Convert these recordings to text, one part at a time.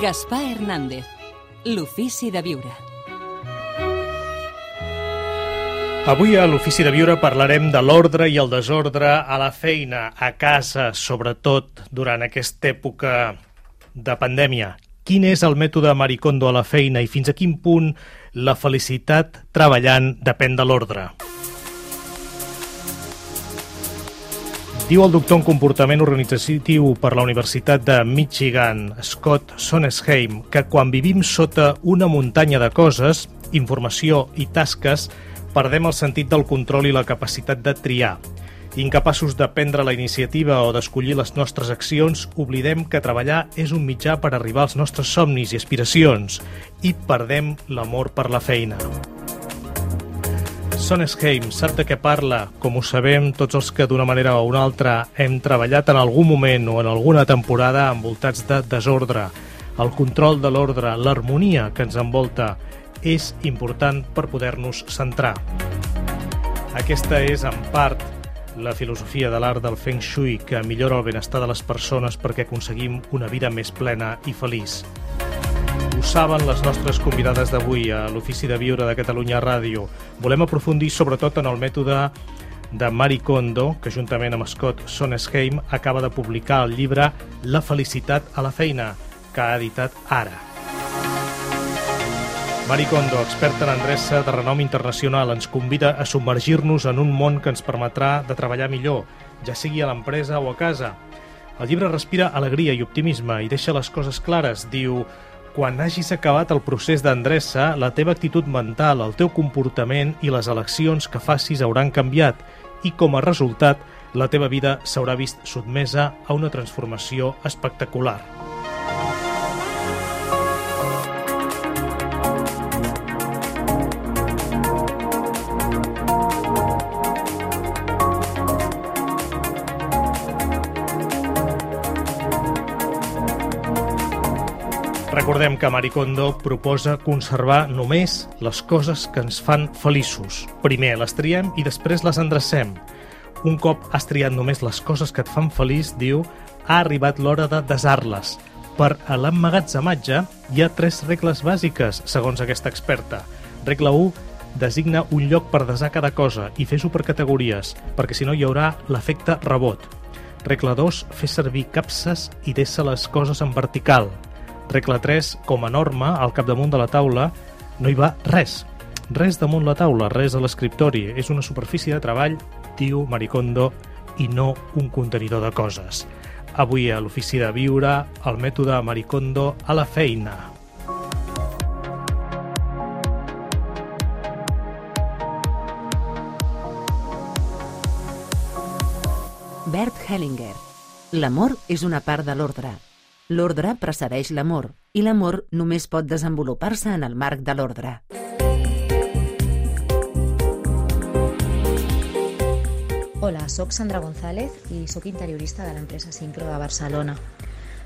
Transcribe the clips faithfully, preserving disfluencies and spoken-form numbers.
Gaspar Hernández, l'ofici de viure. Avui a l'Ofici de Viure parlarem de l'ordre i el desordre a la feina, a casa, sobretot durant aquesta època de pandèmia. Quin és el mètode Marie Kondo a la feina i fins a quin punt la felicitat treballant depèn de l'ordre? Diu el doctor en comportament organitzatiu per la Universitat de Michigan, Scott Sonnesheim, que quan vivim sota una muntanya de coses, informació i tasques, perdem el sentit del control i la capacitat de triar. Incapaços de prendre la iniciativa o d'escollir les nostres accions, oblidem que treballar és un mitjà per arribar als nostres somnis i aspiracions i perdem l'amor per la feina. Sonnesheim sap de què parla, com ho sabem tots els que d'una manera o una altra hem treballat en algun moment o en alguna temporada envoltats de desordre. El control de l'ordre, l'harmonia que ens envolta, és important per poder-nos centrar. Aquesta és, en part, la filosofia de l'art del Feng Shui que millora el benestar de les persones perquè aconseguim una vida més plena i feliç. Ho saben les nostres convidades d'avui a l'Ofici de Viure de Catalunya Ràdio. Volem aprofundir sobretot en el mètode de Marie Kondo, que juntament amb Scott Sonnesheim acaba de publicar el llibre La felicitat a la feina, que ha editat Ara. Marie Kondo, experta en endreça de renom internacional, ens convida a submergir-nos en un món que ens permetrà de treballar millor, ja sigui a l'empresa o a casa. El llibre respira alegria i optimisme i deixa les coses clares. Diu: quan hagis acabat el procés d'endreça, la teva actitud mental, el teu comportament i les eleccions que facis hauran canviat i, com a resultat, la teva vida s'haurà vist sotmesa a una transformació espectacular. Recordem que Marie Kondo proposa conservar només les coses que ens fan feliços. Primer les triem i després les endrecem. Un cop has triat només les coses que et fan feliç, diu, ha arribat l'hora de desar-les. Per a l'emmagatzematge hi ha tres regles bàsiques, segons aquesta experta. Regla u, designa un lloc per desar cada cosa i fes-ho per categories, perquè si no hi haurà l'efecte rebot. Regla dos, fes servir capses i deixa les coses en vertical. Regla tres, com a norma, al capdamunt de la taula no hi va res. Res damunt la taula, res a l'escriptori. És una superfície de treball, diu Marie Kondo, i no un contenidor de coses. Avui a l'Ofici de Viure, el mètode Marie Kondo a la feina. Bert Hellinger. L'amor és una part de l'ordre. L'ordre precedeix l'amor, i l'amor només pot desenvolupar-se en el marc de l'ordre. Hola, soc Sandra González i soc interiorista de l'empresa Syncro de Barcelona.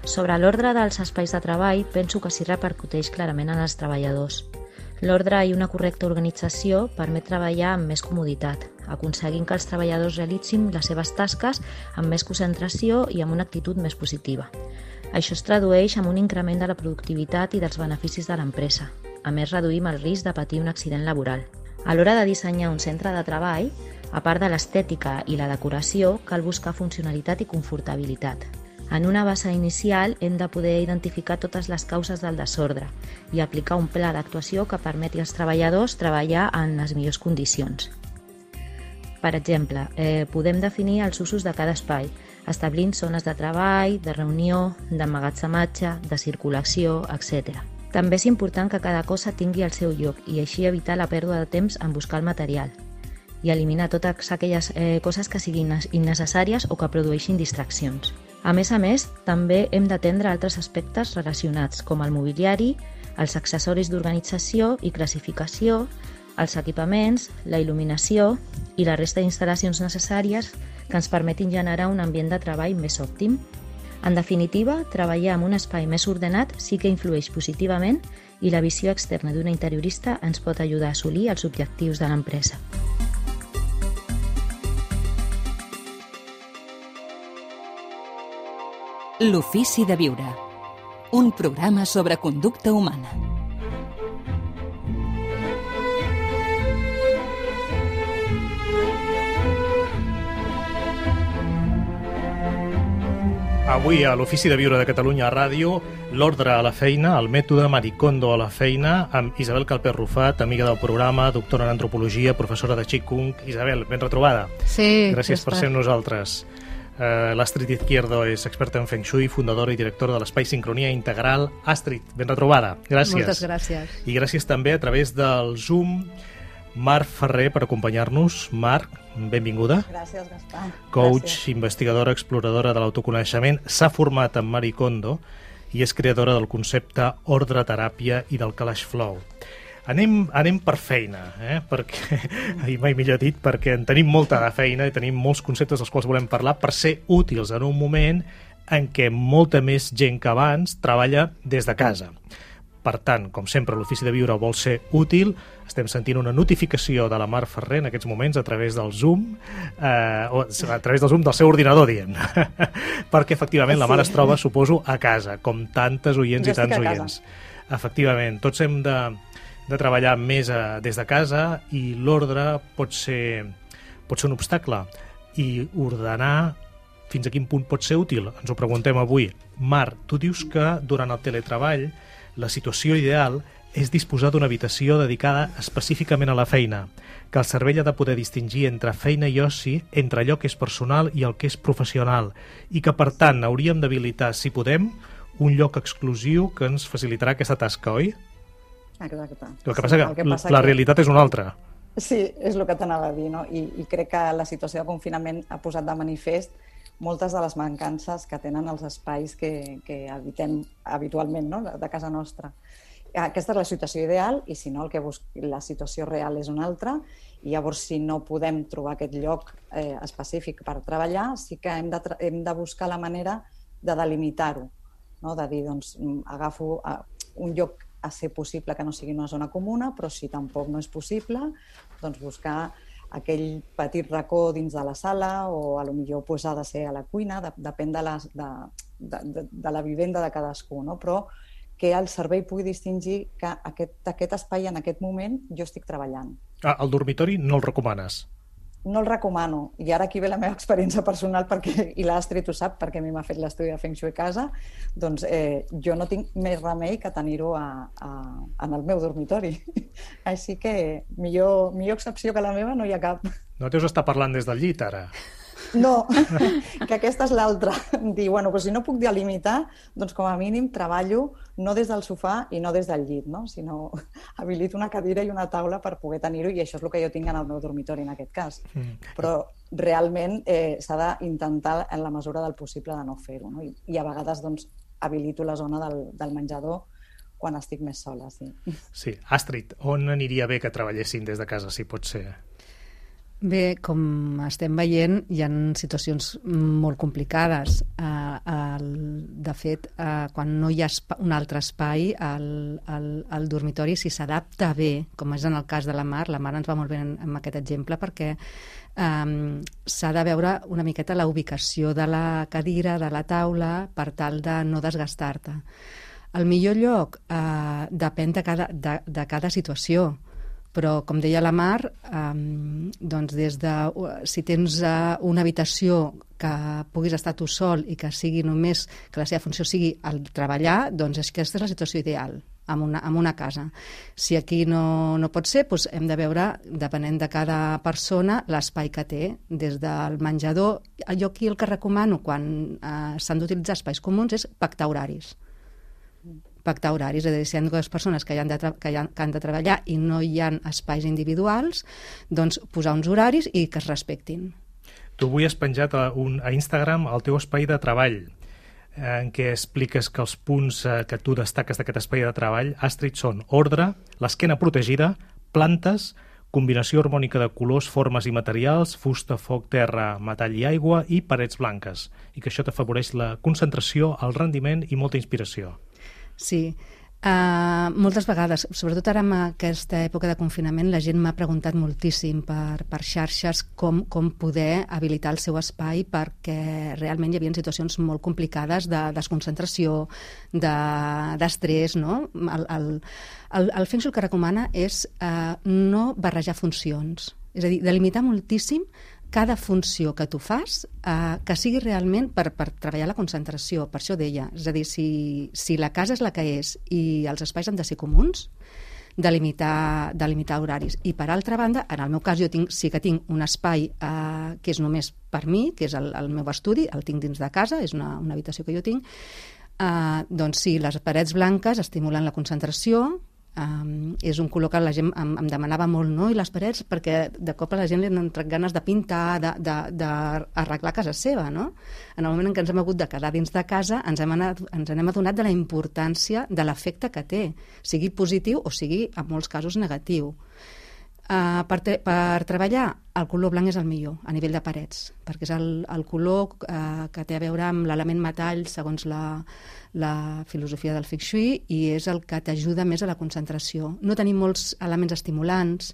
Sobre l'ordre dels espais de treball, penso que s'hi repercuteix clarament en els treballadors. L'ordre i una correcta organització permet treballar amb més comoditat, aconseguint que els treballadors realitzin les seves tasques amb més concentració i amb una actitud més positiva. Això es tradueix en un increment de la productivitat i dels beneficis de l'empresa. A més, reduïm el risc de patir un accident laboral. A l'hora de dissenyar un centre de treball, a part de l'estètica i la decoració, cal buscar funcionalitat i confortabilitat. En una base inicial hem de poder identificar totes les causes del desordre i aplicar un pla d'actuació que permeti als treballadors treballar en les millors condicions. Per exemple, eh, podem definir els usos de cada espai, establint zones de treball, de reunió, d'emmagatzematge, de circulació, etcètera. També és important que cada cosa tingui el seu lloc i així evitar la pèrdua de temps en buscar el material i eliminar totes aquelles eh, coses que siguin innecessàries o que produeixin distraccions. A més a més, també hem d'atendre altres aspectes relacionats, com el mobiliari, els accessoris d'organització i classificació, els equipaments, la il·luminació i la resta d'instal·lacions necessàries que ens permetin generar un ambient de treball més òptim. En definitiva, treballar en un espai més ordenat sí que influeix positivament i la visió externa d'una interiorista ens pot ajudar a assolir els objectius de l'empresa. L'ofici de viure. un programa sobre conducta humana. Avui a l'Ofici de Viure de Catalunya a Ràdio, l'ordre a la feina, el mètode Marie Kondo a la feina, amb Isabel Calpés Rufat, amiga del programa, doctora en antropologia, professora de Qigong. Isabel, ben retrobada. Sí. Gràcies per ser amb nosaltres. Uh, L'Astrid Izquierdo és experta en Feng Shui, fundadora i directora de l'Espai Sincronia Integral. Astrid, ben retrobada. Gràcies. Moltes gràcies. I gràcies també a través del Zoom Mar Ferrer per acompanyar-nos. Marc, benvinguda. Gràcies, Gaspar. Coach, Gràcies. investigadora, exploradora de l'autoconeixement, s'ha format en Marie Kondo i és creadora del concepte ordre teràpia i del Kalash Flow. Anem, anem per feina, eh? perquè, i mai millor dit, perquè en tenim molta de feina i tenim molts conceptes dels quals volem parlar per ser útils en un moment en què molta més gent que abans treballa des de casa. Per tant, com sempre, l'Ofici de Viure vol ser útil. Estem sentint una notificació de la Mar Ferrer en aquests moments a través del Zoom, eh, o a través del Zoom del seu ordinador, dient. Perquè, efectivament, la Mar es troba, suposo, a casa, com tantes oients Jo i tants estic a oients. Efectivament, tots hem de, de treballar més a, des de casa i l'ordre pot ser, pot ser un obstacle. I ordenar fins a quin punt pot ser útil? Ens ho preguntem avui. Mar, tu dius que durant el teletreball la situació ideal és disposar d'una habitació dedicada específicament a la feina, que el cervell ha de poder distingir entre feina i oci, entre allò que és personal i el que és professional, i que, per tant, hauríem d'habilitar, si podem, un lloc exclusiu que ens facilitarà aquesta tasca, oi? Exacte. El que passa Sí, que, el que passa la que... realitat és una altra. Sí, és el que t'anava a dir, no? I, I crec que la situació de confinament ha posat de manifest moltes de les mancances que tenen els espais que, que habitem habitualment, no? de, de casa nostra. Aquesta és la situació ideal i, si no, el que bus... la situació real és una altra. I llavors, si no podem trobar aquest lloc eh, específic per treballar, sí que hem de, tra... hem de buscar la manera de delimitar-ho, no? De dir, doncs, agafo un lloc a ser possible que no sigui una zona comuna, però si tampoc no és possible, doncs buscar aquell petit racó dins de la sala o a lo millor pues, ha de ser a la cuina, de, depèn de la, de, de, de, de la vivenda de cadascú, no? Però que el cervell pugui distingir que aquest, aquest espai en aquest moment jo estic treballant. Ah, el dormitori no el recomanes? No el recomano. I ara aquí ve la meva experiència personal, perquè, i l'Astrid ho sap, perquè a mi m'ha fet l'estudi de Feng Shui a casa, doncs eh, jo no tinc més remei que tenir-ho a, a, en el meu dormitori. Així que millor, millor excepció que la meva no hi ha cap. No deus estar parlant des del llit, ara? No, que aquesta és l'altra. Dir, bueno, però si no puc delimitar, doncs com a mínim treballo no des del sofà i no des del llit, no? Sinó habilito una cadira i una taula per poder tenir-ho, i això és el que jo tinc en el meu dormitori en aquest cas. Mm. Però realment eh, s'ha d'intentar en la mesura del possible de no fer-ho, no? I, i a vegades doncs, habilito la zona del, del menjador quan estic més sola, sí. Sí. Astrid, on aniria bé que treballessin des de casa, si pot ser? Bé, com estem veient, hi ha situacions molt complicades. Uh, el, de fet, uh, quan no hi ha un altre espai, el, el, el dormitori, si s'adapta bé, com és en el cas de la Mar, la Mar ens va molt bé en, en aquest exemple, perquè um, s'ha de veure una miqueta la ubicació de la cadira, de la taula, per tal de no desgastar-te. El millor lloc uh, depèn de cada, de, de cada situació. Però, com deia la Mar, um, doncs des de, si tens uh, una habitació que puguis estar tu sol i que sigui només, que la seva funció sigui el treballar, doncs aquesta és la situació ideal en una, en una casa. Si aquí no, no pot ser, doncs hem de veure, depenent de cada persona, l'espai que té, des del menjador. Jo aquí el que recomano quan uh, s'han d'utilitzar espais comuns és pactar horaris. Pactar horaris, és a dir, si hi ha dues persones que, hi han de que, hi han, que han de treballar i no hi ha espais individuals, doncs posar uns horaris i que es respectin. Tu avui has penjat a, un, a Instagram el teu espai de treball, en què expliques que els punts eh, que tu destaques d'aquest espai de treball, Astrid, són ordre, l'esquena protegida, plantes, combinació harmònica de colors, formes i materials, fusta, foc, terra, metall i aigua i parets blanques, i que això t'afavoreix la concentració, el rendiment i molta inspiració. Sí, Uh, moltes vegades, sobretot ara en aquesta època de confinament, la gent m'ha preguntat moltíssim per, per xarxes com, com poder habilitar el seu espai, perquè realment hi havia situacions molt complicades de desconcentració, d'estrès, de, no? El, el, el, el Feng Shui que recomana és uh, no barrejar funcions, és a dir, delimitar moltíssim cada funció que tu fas, eh, que sigui realment per, per treballar la concentració, per això deia. És a dir, si, si la casa és la que és i els espais han de ser comuns, delimitar, delimitar horaris. I per altra banda, en el meu cas, jo tinc, sí que tinc un espai eh, que és només per mi, que és el, el meu estudi, el tinc dins de casa, és una, una habitació que jo tinc, eh, doncs sí, les parets blanques estimulen la concentració. Um, és un color que la gent em, em demanava molt, no? I les parets, perquè de cop a la gent li han entrat ganes de pintar, d'arreglar casa seva, no? En el moment en què ens hem hagut de quedar dins de casa, ens hem, anat, ens hem adonat de la importància de l'efecte que té, sigui positiu o sigui, en molts casos, negatiu. Uh, per, per treballar, el color blanc és el millor a nivell de parets, perquè és el, el color uh, que té a veure amb l'element metall segons la, la filosofia del Feng Shui, i és el que t'ajuda més a la concentració. No tenim molts elements estimulants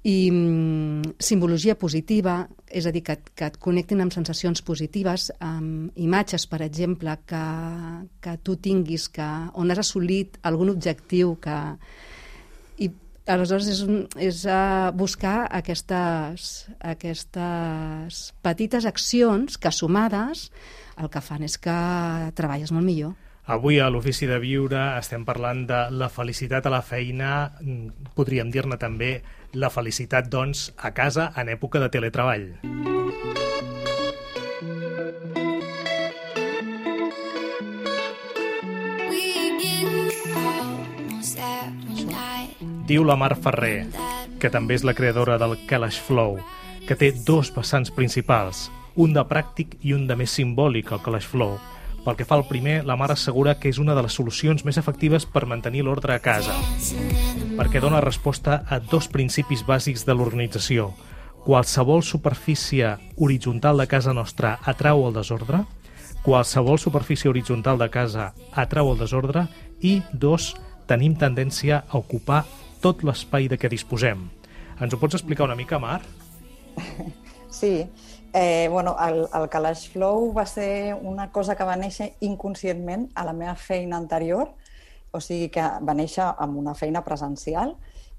i um, simbologia positiva, és a dir, que, que et connectin amb sensacions positives, amb imatges, per exemple, que, que tu tinguis, que, on has assolit algun objectiu que... I, aleshores, és, un, és uh, buscar aquestes, aquestes petites accions que, sumades, el que fan és que treballes molt millor. Avui a l'Ofici de Viure estem parlant de la felicitat a la feina, podríem dir-ne també la felicitat, doncs, a casa en època de teletreball. Diu la Mar Ferrer, que també és la creadora del Kalash Flow, que té dos vessants principals, un de pràctic i un de més simbòlic, el Kalash Flow. Pel que fa al primer, la Mar assegura que és una de les solucions més efectives per mantenir l'ordre a casa, perquè dona resposta a dos principis bàsics de l'organització. Qualsevol superfície horitzontal de casa nostra atrau el desordre, qualsevol superfície horitzontal de casa atrau el desordre, i dos, tenim tendència a ocupar tot l'espai de què disposem. Ens ho pots explicar una mica, Mar? Sí. Eh, bueno, el, el Kalash Flow va ser una cosa que va néixer inconscientment a la meva feina anterior, o sigui que va néixer amb una feina presencial,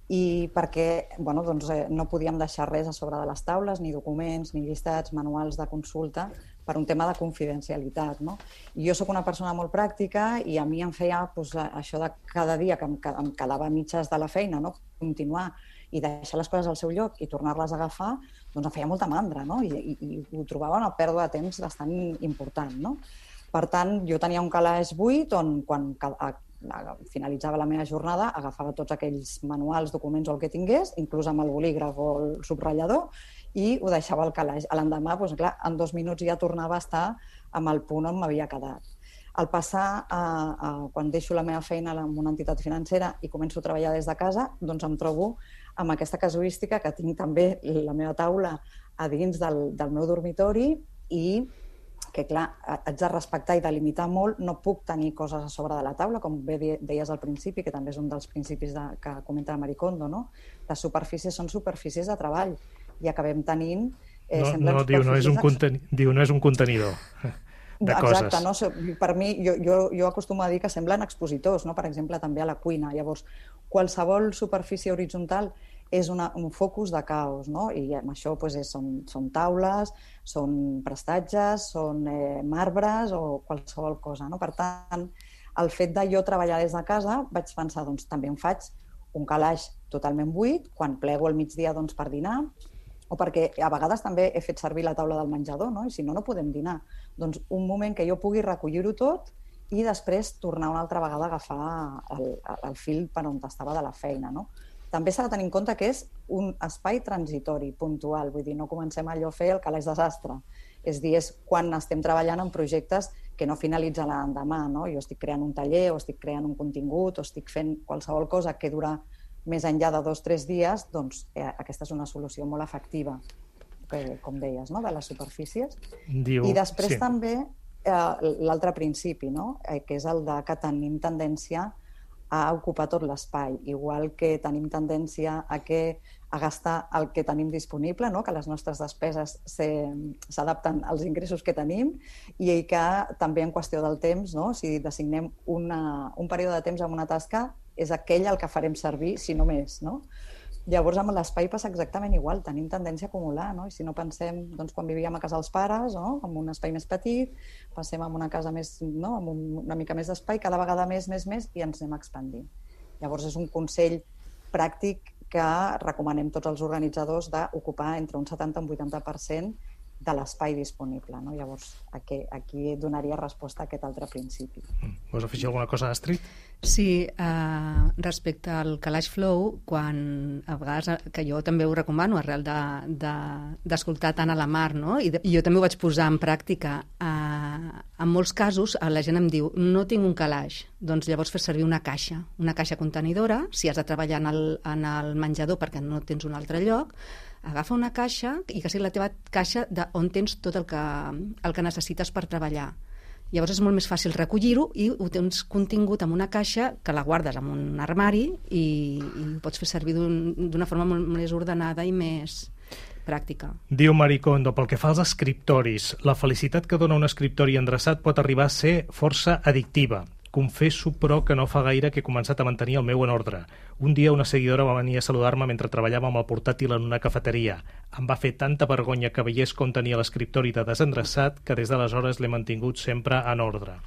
i perquè bueno, doncs, eh, no podíem deixar res a sobre de les taules, ni documents, ni llistats, manuals de consulta, per un tema de confidencialitat, no? I jo sóc una persona molt pràctica i a mi em feia doncs, això de cada dia que em, em quedava a mitges de la feina, no? Continuar i deixar les coses al seu lloc i tornar-les a agafar, doncs em feia molta mandra, no? I, i, i ho trobava una pèrdua de temps bastant important, no? Per tant, jo tenia un calaix buit on quan a, a, finalitzava la meva jornada agafava tots aquells manuals, documents o el que tingués, inclús amb el bolígraf o el subratllador, i ho deixava al calaix. A l'endemà, doncs, clar, en dos minuts ja tornava a estar amb el punt on m'havia quedat. Al passar, a, a, quan deixo la meva feina en una entitat financera i començo a treballar des de casa, doncs em trobo amb aquesta casuística que tinc també la meva taula a dins del, del meu dormitori i que, clar, haig de respectar i delimitar molt, no puc tenir coses a sobre de la taula, com bé deies al principi, que també és un dels principis de, que comenta la Marie Kondo, no? Les superfícies són superfícies de treball i acabem tenint... Eh, no, no, diu, no és un conteni... diu, no és un contenidor de Exacte, coses. No? Per mi, jo, jo, jo acostumo a dir que semblen expositors, no? Per exemple, també a la cuina. Llavors, qualsevol superfície horitzontal és una, un focus de caos, no? I amb això doncs, és, són, són taules, són prestatges, són eh, marbres o qualsevol cosa, no? Per tant, el fet de jo treballar des de casa, vaig pensar, doncs també em faig un calaix totalment buit, quan plego al migdia doncs, per dinar, o perquè a vegades també he fet servir la taula del menjador, no? I si no, no podem dinar. Doncs un moment que jo pugui recollir-ho tot i després tornar una altra vegada a agafar el, el fil per on estava de la feina, no? També s'ha de tenir en compte que és un espai transitori, puntual, vull dir, no comencem allò a fer el calaix desastre. És dir, és quan estem treballant en projectes que no finalitzen l'endemà, no? Jo estic creant un taller o estic creant un contingut o estic fent qualsevol cosa que dura més enllà de dos o tres dies, doncs eh, aquesta és una solució molt efectiva, que, com deies, no? De les superfícies. Diu, I després sí. també eh, l'altre principi, no? eh, que és el de que tenim tendència a ocupar tot l'espai, igual que tenim tendència a, que, a gastar el que tenim disponible, no? Que les nostres despeses s'adapten als ingressos que tenim i que també en qüestió del temps, no? Si designem una, un període de temps amb una tasca, és aquell el que farem servir, si no més, no? Llavors, amb l'espai passa exactament igual, tenim tendència a acumular, no? I si no pensem, doncs, quan vivíem a casa dels pares, no? Amb un espai més petit, passem a una casa més, no? Amb un, una mica més d'espai, cada vegada més, més, més, i ens anem expandint. Llavors, és un consell pràctic que recomanem tots els organitzadors d'ocupar entre un setanta i un vuitanta per cent de l'espai disponible, no? Llavors, aquí, aquí donaria resposta a aquest altre principi. Vols afegir alguna cosa, Astrid? Sí, uh, respecte al calaix flow, quan a vegades, que jo també ho recomano arrel d'escoltar de, de, tant a la Mar, no? I, de, i jo també ho vaig posar en pràctica. Uh, en molts casos la gent em diu, no tinc un calaix, doncs llavors fes servir una caixa, una caixa contenidora, si has de treballar en el, en el menjador perquè no tens un altre lloc, agafa una caixa i que sigui la teva caixa de on tens tot el que, el que necessites per treballar. Llavors és molt més fàcil recollir-ho i ho tens contingut en una caixa que la guardes en un armari i, i ho pots fer servir d'una forma molt més ordenada i més pràctica. Diu Marie Kondo, pel que fa als escriptoris, la felicitat que dona un escriptori endreçat pot arribar a ser força addictiva. Confesso, però, que no fa gaire que he començat a mantenir el meu en ordre. Un dia una seguidora va venir a saludar-me mentre treballava amb el portàtil en una cafeteria. Em va fer tanta vergonya que veiés com tenia l'escriptori de desendreçat que des d'aleshores l'he mantingut sempre en ordre.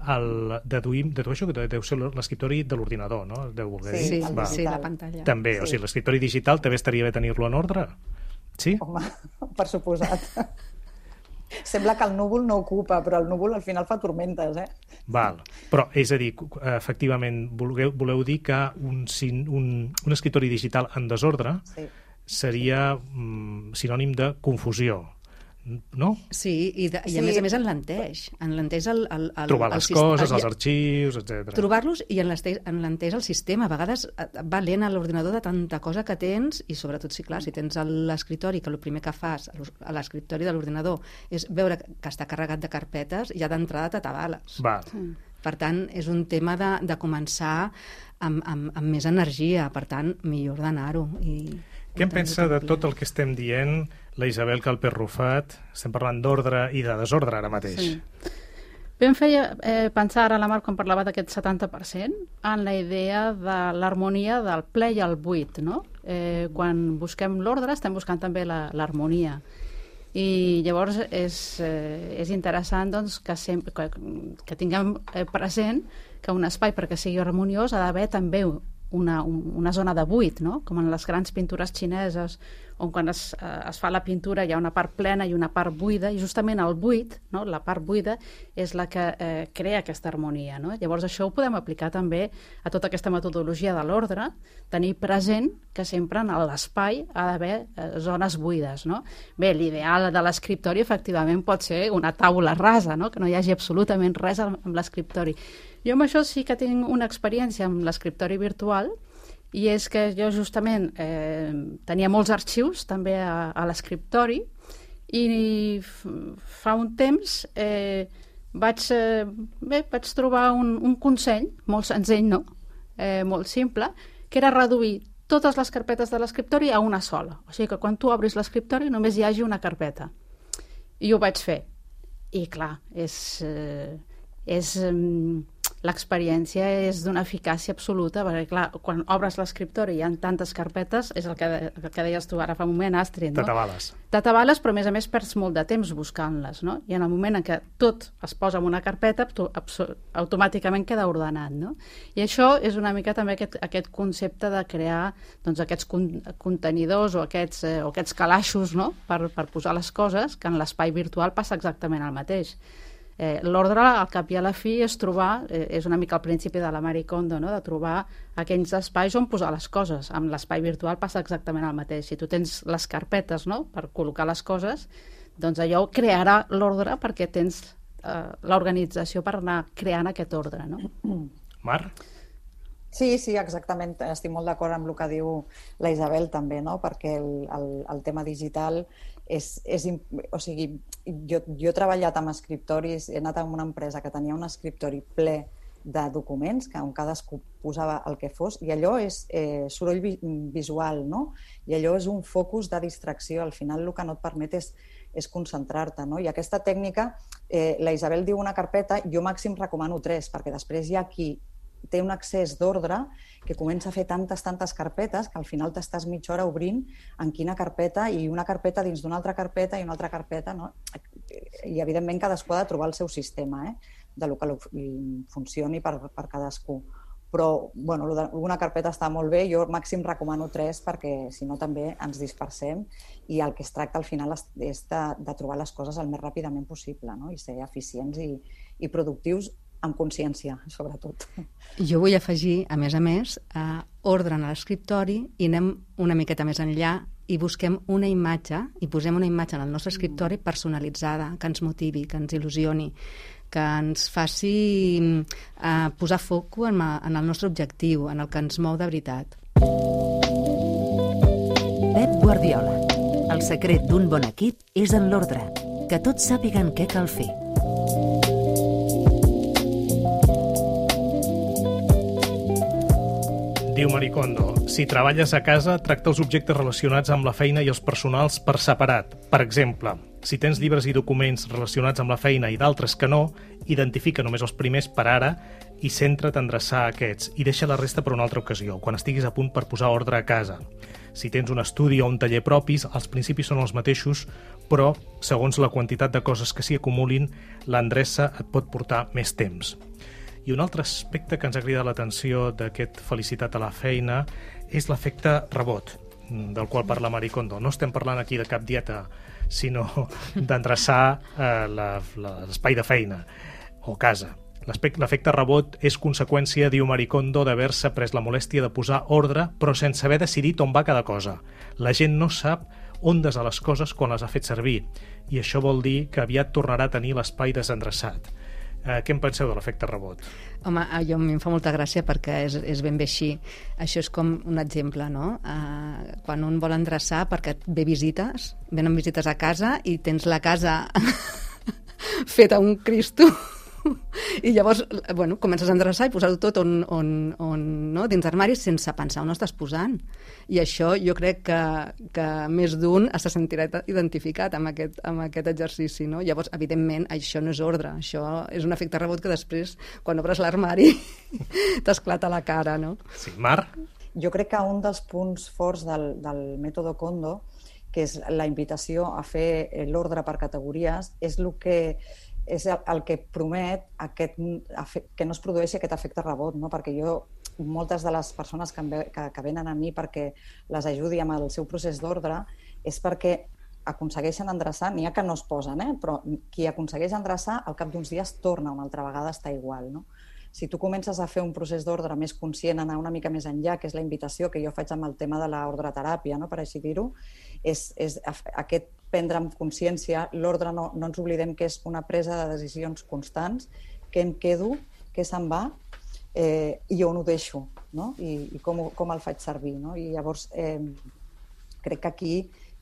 El, deduïm, dedueixo que deu ser l'escriptori de l'ordinador, no? Deu voler sí, dir. Sí, sí, la pantalla. També, sí. O sigui, l'escriptori digital també estaria bé tenir-lo en ordre? Sí? Home, per suposat. Sembla que el núvol no ocupa, però el núvol al final fa tormentes, eh? Val. Però, és a dir, efectivament, voleu, voleu dir que un, un, un escriptori digital en desordre sí. seria mm, sinònim de confusió, no? Sí, i, de, i a sí. més a més enlenteix. Enlenteix el, el, el, trobar les el, coses, el, els arxius, etcètera. Trobar-los i enlenteix, enlenteix el sistema. A vegades va lent a l'ordinador de tanta cosa que tens i sobretot, sí, clar, si tens l'escriptori, que el primer que fas a l'escriptori de l'ordinador és veure que està carregat de carpetes, ja d'entrada t'atabales. Val. Per tant, és un tema de, de començar amb, amb, amb més energia. Per tant, millor d'anar-ho. I... Què en pensa de tot el que estem dient la Isabel Calper-Rufat? Estem parlant d'ordre i de desordre ara mateix. Sí. Bé, em feia eh, pensar ara la Mar quan parlava d'aquest setanta per cent en la idea de l'harmonia del ple i el buit, no? Eh, quan busquem l'ordre estem buscant també l'harmonia. I llavors és, eh, és interessant doncs, que, sempre, que, que tinguem present que un espai perquè sigui harmoniós ha d'haver també Una, una zona de buit, no? Com en les grans pintures xineses, on quan es, es fa la pintura hi ha una part plena i una part buida, i justament el buit, no? La part buida, és la que eh, crea aquesta harmonia, no? Llavors això ho podem aplicar també a tota aquesta metodologia de l'ordre, tenir present que sempre en l'espai ha d'haver eh, zones buides, no? Bé, l'ideal de l'escriptori efectivament pot ser una taula rasa, no? Que no hi hagi absolutament res amb l'escriptori. Jo amb això sí que tinc una experiència amb l'escriptori virtual i és que jo justament eh, tenia molts arxius també a, a l'escriptori i fa un temps eh, vaig, eh, bé, vaig trobar un, un consell, molt senzill, no? Eh, molt simple, que era reduir totes les carpetes de l'escriptori a una sola. O sigui que quan tu obris l'escriptori només hi hagi una carpeta. I ho vaig fer. I clar, és... Eh, és l'experiència és d'una eficàcia absoluta, perquè clar, quan obres l'escriptori i hi ha tantes carpetes, és el que, el que deies tu ara fa un moment, Astrid, no? T'atabales. T'atabales, però a més a més perds molt de temps buscant-les, no? I en el moment en què tot es posa en una carpeta, automàticament queda ordenat, no? I això és una mica també aquest, aquest concepte de crear doncs, aquests con contenidors o aquests, eh, o aquests calaixos, no? per, per posar les coses, que en l'espai virtual passa exactament el mateix. Eh, L'ordre, al cap i a la fi, és trobar, eh, és una mica el principi de la Marie Kondo, no? De trobar aquells espais on posar les coses. Amb l'espai virtual passa exactament el mateix. Si tu tens les carpetes, no?, per col·locar les coses, doncs allò crearà l'ordre perquè tens eh, l'organització per anar creant aquest ordre, no? Mar? Sí, sí, exactament. Estic molt d'acord amb el que diu la Isabel també, no? Perquè el, el, el tema digital és, és, o sigui, jo, jo he treballat amb escriptoris, he anat a una empresa que tenia un escriptori ple de documents, que on cadascú posava el que fos, i allò és eh, soroll vi visual, no? I allò és un focus de distracció. Al final el que no et permet és, és concentrar-te, no? I aquesta tècnica, eh, la Isabel diu una carpeta, jo màxim recomano tres, perquè després hi ha qui té un accés d'ordre que comença a fer tantes, tantes carpetes que al final t'estàs mitja hora obrint en quina carpeta i una carpeta dins d'una altra carpeta i una altra carpeta, no? I evidentment cadascú ha de trobar el seu sistema, eh? De lo que funcioni per, per cadascú. Però, bueno, una carpeta està molt bé, jo màxim recomano tres perquè si no també ens dispersem i el que es tracta al final és de, de trobar les coses el més ràpidament possible, no? I ser eficients i, i productius amb consciència, sobretot. Jo vull afegir, a més a més, a ordre en l'escriptori i anem una miqueta més enllà i busquem una imatge, i posem una imatge en el nostre escriptori personalitzada, que ens motivi, que ens il·lusioni, que ens faci eh, posar foc en, en el nostre objectiu, en el que ens mou de veritat. Pep Guardiola. El secret d'un bon equip és en l'ordre, que tots sàpiguen què cal fer. Diu Marie Kondo, si treballes a casa, tracta els objectes relacionats amb la feina i els personals per separat. Per exemple, si tens llibres i documents relacionats amb la feina i d'altres que no, identifica només els primers per ara i centra't a endreçar aquests i deixa la resta per una altra ocasió, quan estiguis a punt per posar ordre a casa. Si tens un estudi o un taller propis, els principis són els mateixos, però, segons la quantitat de coses que s'hi acumulin, l'endreça et pot portar més temps. I un altre aspecte que ens ha cridat l'atenció d'aquest felicitat a la feina és l'efecte rebot, del qual parla Marie Kondo. No estem parlant aquí de cap dieta, sinó d'endreçar eh, l'espai de feina o casa. L'efecte rebot és conseqüència, diu Marie Kondo, d'haver-se pres la molèstia de posar ordre, però sense haver decidit on va cada cosa. La gent no sap on des a les coses quan les ha fet servir, i això vol dir que aviat tornarà a tenir l'espai desendreçat. Eh, què en penseu de l'efecte rebot? Home, jo, a mi em fa molta gràcia perquè és, és ben bé així. Això és com un exemple, no? Uh, quan un vol endreçar perquè et ve visites, venen visites a casa i tens la casa feta un Cristo i llavors, bueno, comences a endreçar i posar-ho tot on, on, on, no? dins armaris sense pensar on ho estàs posant. I això jo crec que, que més d'un se sentirà identificat amb aquest, amb aquest exercici, no? Llavors, evidentment, això no és ordre, això és un efecte rebot que després, quan obres l'armari, t'esclata la cara, no? Sí, Mar? Jo crec que un dels punts forts del, del mètode Kondo, que és la invitació a fer l'ordre per categories, és el que és el que promet aquest, que no es produeixi aquest efecte rebot, no? Perquè jo, moltes de les persones que, ve, que, que venen a mi perquè les ajudi amb el seu procés d'ordre és perquè aconsegueixen endreçar, n'hi ha que no es posen, eh? Però qui aconsegueix endreçar al cap d'uns dies torna una altra vegada a estar igual, no? Si tu comences a fer un procés d'ordre més conscient, anar una mica més enllà, que és la invitació que jo faig amb el tema de l'ordreteràpia, no? Per així dir-ho, és, és aquest prendre amb consciència, l'ordre no, no ens oblidem que és una presa de decisions constants, què em quedo, què se'n va eh, i on ho deixo, no? I, i com, com el faig servir, no? I llavors eh, crec que aquí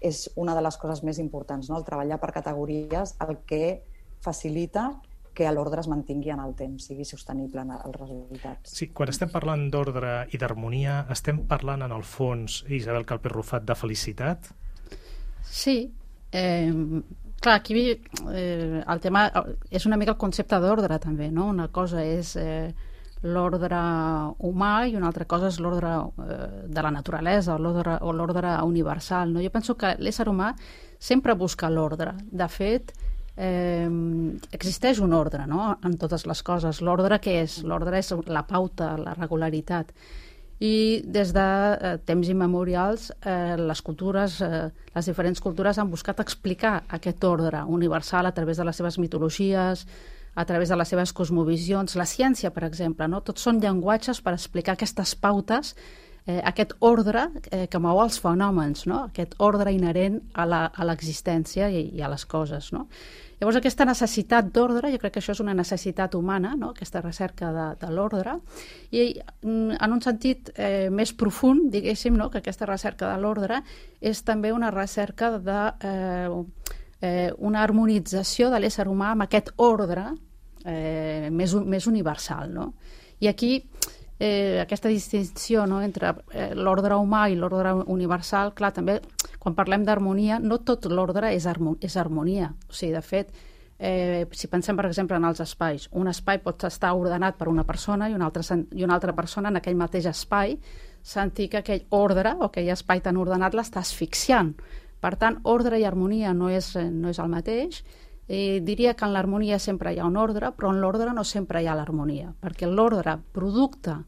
és una de les coses més importants, no? El treballar per categories, el que facilita que l'ordre es mantingui en el temps, sigui sostenible en els resultats. Sí, quan estem parlant d'ordre i d'harmonia, estem parlant en el fons, Isabel Calpé-Rufat, de felicitat? Sí. Eh, clar, aquí eh, el tema és una mica el concepte d'ordre també, no? Una cosa és eh, l'ordre humà i una altra cosa és l'ordre eh, de la naturalesa o l'ordre o l'ordre universal, no? Jo penso que l'ésser humà sempre busca l'ordre. De fet, eh, existeix un ordre, no? En totes les coses. L'ordre què és? L'ordre és la pauta, la regularitat. I des de eh, temps immemorials eh, les cultures, eh, les diferents cultures han buscat explicar aquest ordre universal a través de les seves mitologies, a través de les seves cosmovisions. La ciència, per exemple, no? Tots són llenguatges per explicar aquestes pautes, eh, aquest ordre eh, que mou els fenòmens, no? Aquest ordre inherent a l'existència i, i a les coses, no? Llavors, aquesta necessitat d'ordre, jo crec que això és una necessitat humana, no? Aquesta recerca de, de l'ordre, i en un sentit eh, més profund, diguéssim, no? Que aquesta recerca de l'ordre és també una recerca de eh, eh, una harmonització de l'ésser humà amb aquest ordre eh, més, més universal, no? I aquí eh, aquesta distinció, no?, entre eh, l'ordre humà i l'ordre universal, clar, també quan parlem d'harmonia, no tot l'ordre és, harmo és harmonia. O sigui, de fet, eh, si pensem, per exemple, en els espais, un espai pot estar ordenat per una persona i una altra, i una altra persona en aquell mateix espai sentir que aquell ordre o aquell espai tan ordenat l'està asfixiant. Per tant, ordre i harmonia no és, no és el mateix. Eh, diria que en l'harmonia sempre hi ha un ordre, però en l'ordre no sempre hi ha l'harmonia, perquè l'ordre producte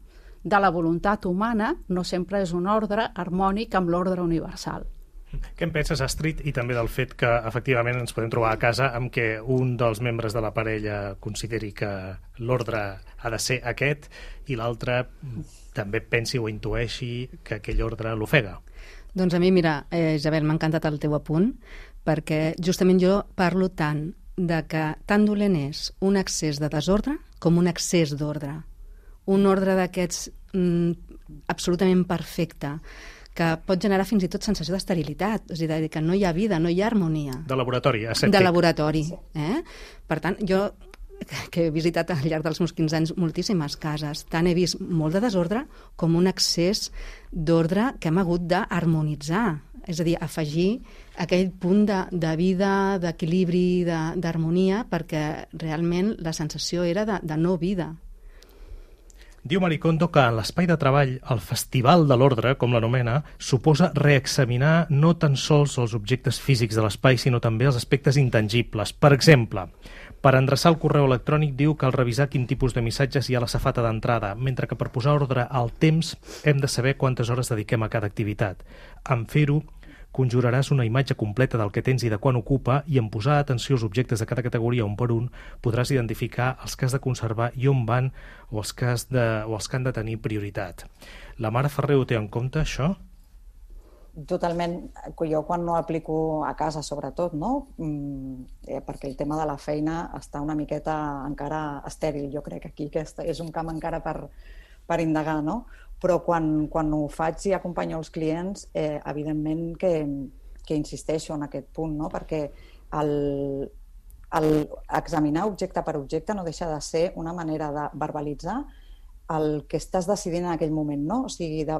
de la voluntat humana no sempre és un ordre harmònic amb l'ordre universal. Què en penses, Astrid, i també del fet que efectivament ens podem trobar a casa amb què un dels membres de la parella consideri que l'ordre ha de ser aquest i l'altre també pensi o intueixi que aquell ordre l'ofega? Doncs a mi, mira, eh, Isabel, m'ha encantat el teu apunt, perquè justament jo parlo tant de que tan dolent és un excés de desordre com un excés d'ordre. Un ordre d'aquests mm, absolutament perfecte, que pot generar fins i tot sensació d'esterilitat, és a dir, que no hi ha vida, no hi ha harmonia. De laboratori, asèptic. De laboratori. Eh? Per tant, jo, que he visitat al llarg dels meus quinze anys moltíssimes cases, tant he vist molt de desordre com un excés d'ordre que hem hagut d'harmonitzar. És a dir, afegir aquell punt de, de vida, d'equilibri, d'harmonia, perquè realment la sensació era de, de no vida. Diu Marie Kondo que en l'espai de treball, el festival de l'ordre, com l'anomena, suposa reexaminar no tan sols els objectes físics de l'espai, sinó també els aspectes intangibles. Per exemple, per endreçar el correu electrònic diu cal revisar quin tipus de missatges hi ha a la safata d'entrada, mentre que per posar ordre al temps hem de saber quantes hores dediquem a cada activitat. En fer-ho, conjuraràs una imatge completa del que tens i de quan ocupa, i en posar atenció als objectes de cada categoria un per un podràs identificar els que has de conservar i on van o els que, has de, o els que han de tenir prioritat. La Mare Ferrer ho té en compte, això? Totalment. Jo quan no aplico a casa, sobretot, no? Mm, perquè el tema de la feina està una miqueta encara estèril, jo crec, aquí, que és un camp encara per, per indagar, no? Però quan, quan ho faig i acompanyo els clients, eh, evidentment que, que insisteixo en aquest punt, no? Perquè el, el examinar objecte per objecte no deixa de ser una manera de verbalitzar el que estàs decidint en aquell moment, no? O sigui, de,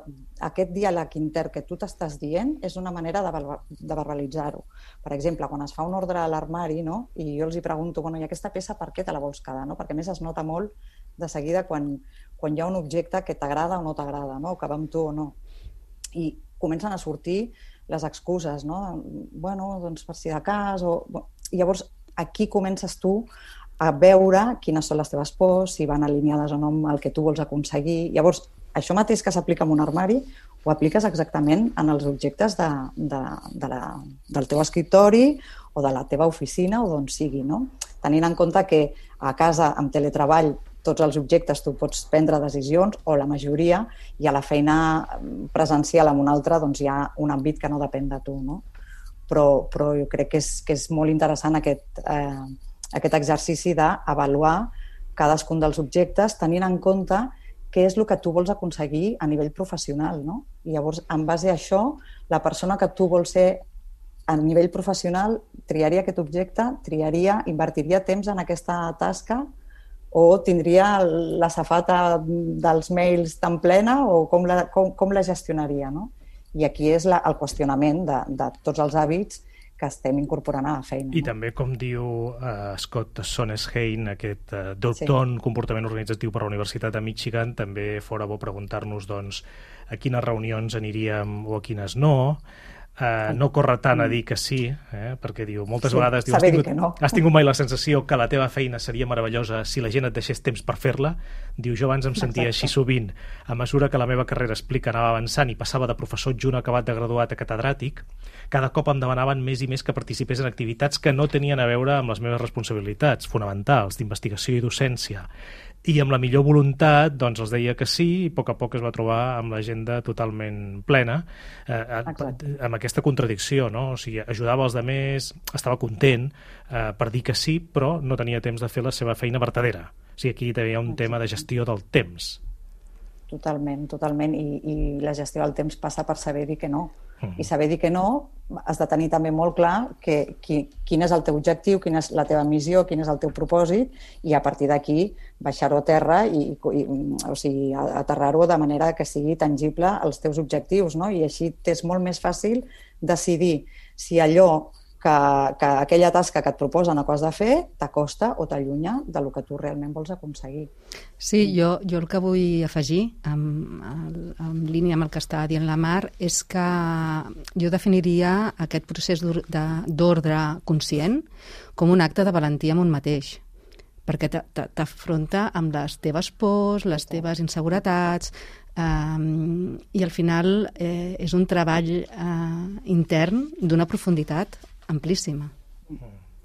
aquest diàleg intern que tu t'estàs dient és una manera de, de verbalitzar-ho. Per exemple, quan es fa un ordre a l'armari, no? I jo els hi pregunto, bueno, i aquesta peça per què te la vols quedar, no? Perquè a més es nota molt de seguida quan, quan hi ha un objecte que t'agrada o no t'agrada, no? O que va amb tu o no. I comencen a sortir les excuses, no? Bueno, doncs per si de cas, o... I llavors aquí comences tu a veure quines són les teves pors, si van alineades o no amb el que tu vols aconseguir. Llavors, això mateix que s'aplica en un armari, ho apliques exactament en els objectes de, de, de la, del teu escriptori o de la teva oficina o d'on sigui, no? Tenint en compte que a casa, amb teletreball, tots els objectes tu pots prendre decisions, o la majoria, i a la feina presencial amb un altre doncs hi ha un àmbit que no depèn de tu, no? Però, però jo crec que és, que és molt interessant aquest... Eh, aquest exercici d'avaluar cadascun dels objectes tenint en compte què és el que tu vols aconseguir a nivell professional, no? I llavors, en base a això, la persona que tu vols ser a nivell professional triaria aquest objecte, triaria, invertiria temps en aquesta tasca o tindria la safata dels mails tan plena o com la, com, com la gestionaria, no? I aquí és la, el qüestionament de, de tots els hàbits que estem incorporant a la feina. I no? també, com diu uh, Scott Sonnesheim, aquest uh, doctor en sí. comportament organitzatiu per la Universitat de Michigan, també fora bo preguntar-nos doncs, a quines reunions aniríem o a quines no. Uh, no corre tant a dir que sí, eh? Perquè diu, moltes sí, vegades diu, has, tingut, no. has tingut mai la sensació que la teva feina seria meravellosa si la gent et deixés temps per fer-la? Diu, jo abans em sentia Exacte. Així sovint. A mesura que la meva carrera, explica, anava avançant i passava de professor adjunt acabat de graduat a catedràtic, cada cop em demanaven més i més que participés en activitats que no tenien a veure amb les meves responsabilitats fonamentals d'investigació i docència. I amb la millor voluntat doncs els deia que sí i a poc a poc es va trobar amb l'agenda totalment plena, eh, amb aquesta contradicció, no? O sigui, ajudava els altres, estava content eh, per dir que sí, però no tenia temps de fer la seva feina vertadera. O sigui, aquí també hi ha un tema de gestió del temps. Totalment, totalment, i, i la gestió del temps passa per saber dir que no. Mm. I saber dir que no, has de tenir també molt clar que, qui, quin és el teu objectiu, quina és la teva missió, quin és el teu propòsit, i a partir d'aquí baixar-ho a terra i, i o sigui, aterrar-ho de manera que sigui tangible els teus objectius, no? I així t'és molt més fàcil decidir si allò que, que aquella tasca que et proposen o que has de fer t'acosta o t'allunya del que tu realment vols aconseguir. Sí, jo, jo el que vull afegir, en, en línia amb el que està dient la Mar, és que jo definiria aquest procés d'ordre conscient com un acte de valentia amb un mateix, perquè t'afronta amb les teves pors, les teves inseguretats, Um, i al final eh, és un treball eh, intern d'una profunditat amplíssima.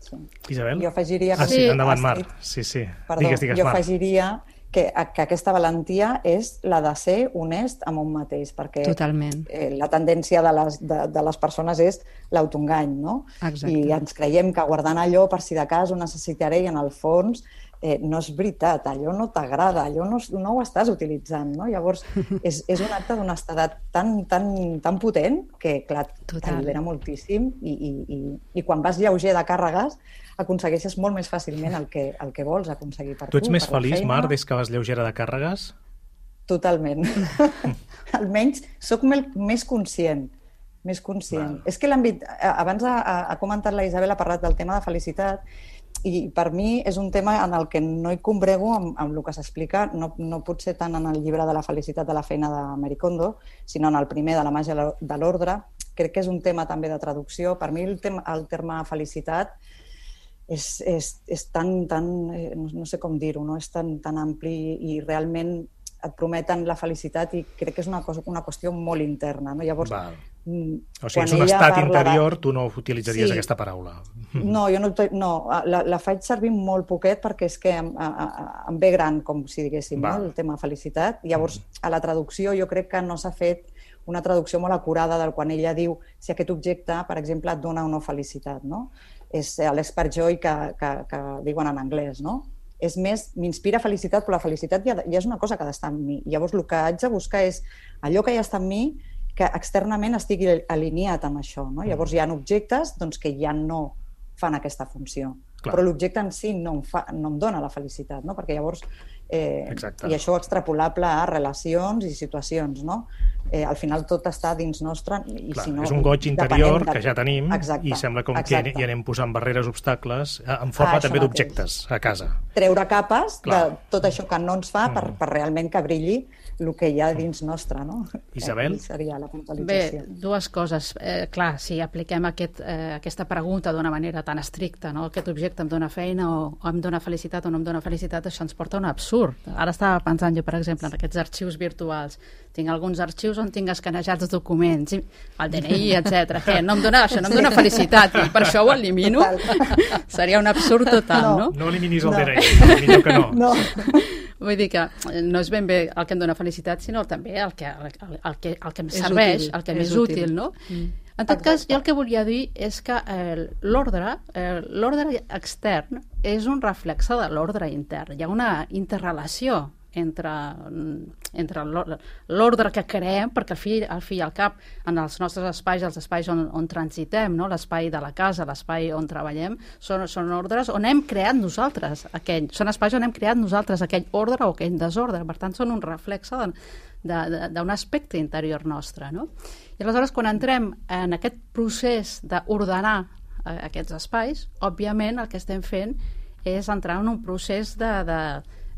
Sí. Isabel? Jo afegiria... Ah, sí, endavant, Mar. Sí, sí. Perdó, digues, digues, jo Mar. afegiria que, que aquesta valentia és la de ser honest amb un mateix, perquè Totalment. Eh, la tendència de les, de, de les persones és l'autoengany, no? Exacte. I ens creiem que guardant allò per si de cas ho necessitaré i en el fons eh, no és veritat, allò no t'agrada, allò no, no ho estàs utilitzant, no? Llavors és, és un acte d'honestedat tan, tan, tan potent que, clar, t'allibera moltíssim i, i, i, i quan vas lleuger de càrregues aconsegueixes molt més fàcilment el que, el que vols aconseguir per tu. Tu ets més feliç, Mar, des que vas lleugera de càrregues? Totalment. Almenys sóc més conscient. Més conscient. Val. És que l'àmbit... Abans ha, ha comentat la Isabel, ha parlat del tema de felicitat, i per mi és un tema en el que no hi combrego amb, amb el que s'explica, no, no potser tant en el llibre de la felicitat de la feina de Marie Kondo, sinó en el primer de la màgia de l'ordre. Crec que és un tema també de traducció. Per mi el, tema, el terme felicitat és, és, és tan, tan, no sé com dir-ho, no? És tan, tan ampli i realment et prometen la felicitat i crec que és una, cosa, una qüestió molt interna. No? Llavors, Val. O sigui, és un estat interior, de... tu no utilitzaries sí. aquesta paraula. No, jo no, no la, la faig servir molt poquet perquè és que em, a, a, em ve gran, com si diguéssim, no? El tema felicitat. Llavors, a la traducció jo crec que no s'ha fet una traducció molt acurada del quan ella diu si aquest objecte, per exemple, et dona o no felicitat, no? És l'expert joy que, que, que diuen en anglès, no? És més, m'inspira felicitat, però la felicitat ja, ja és una cosa que ha d'estar en mi. Llavors, el que haig de buscar és allò que ja està en mi, que externament estigui alineat amb això. No? Llavors, hi ha objectes doncs, que ja no fan aquesta funció. Clar. Però l'objecte en si no em, fa, no em dona la felicitat, no? Perquè llavors... Eh, i això extrapolable a relacions i situacions, no? Eh, al final tot està dins nostre i Clar, si no... És un goig interior de... que ja tenim exacte, i sembla com exacte. que hi anem posant barreres, obstacles, en forma ah, també d'objectes a casa. Treure capes Clar. de tot això que no ens fa mm. per, per realment que brilli el que hi ha dins nostre, no? Isabel? Eh, seria la puntualització. Bé, dues coses. Eh, clar, si apliquem aquest, eh, aquesta pregunta d'una manera tan estricta, no? Aquest objecte em dona feina o, o em dona felicitat o no em dona felicitat, això ens porta a un absurd. Ara estava pensant jo, per exemple, en aquests arxius virtuals. Tinc alguns arxius on tinc escanejats documents, el D N I, etcètera. Què? No em dona això, no em dona felicitat. I per això ho elimino? Seria un absurd total, no? No, no eliminis el no. D N I, millor que no. No. Vull dir que no és ben bé el que em dona felicitat, sinó també el que, el, el que, el que em serveix, útil, el que m'és útil, útil, no? Mm. En tot cas, jo el que volia dir és que eh, l'ordre, eh, l'ordre extern és un reflexe de l'ordre intern. Hi ha una interrelació entre, entre l'ordre que creem, perquè al fi, al fi i al cap, en els nostres espais, els espais on, on transitem, no? L'espai de la casa, l'espai on treballem, són, són ordres on hem creat nosaltres aquell, són espais on hem creat nosaltres aquell ordre o aquell desordre, per tant són un reflexe d'un aspecte interior nostre, no? I aleshores quan entrem en aquest procés d'ordenar eh, aquests espais, òbviament el que estem fent és entrar en un procés de, de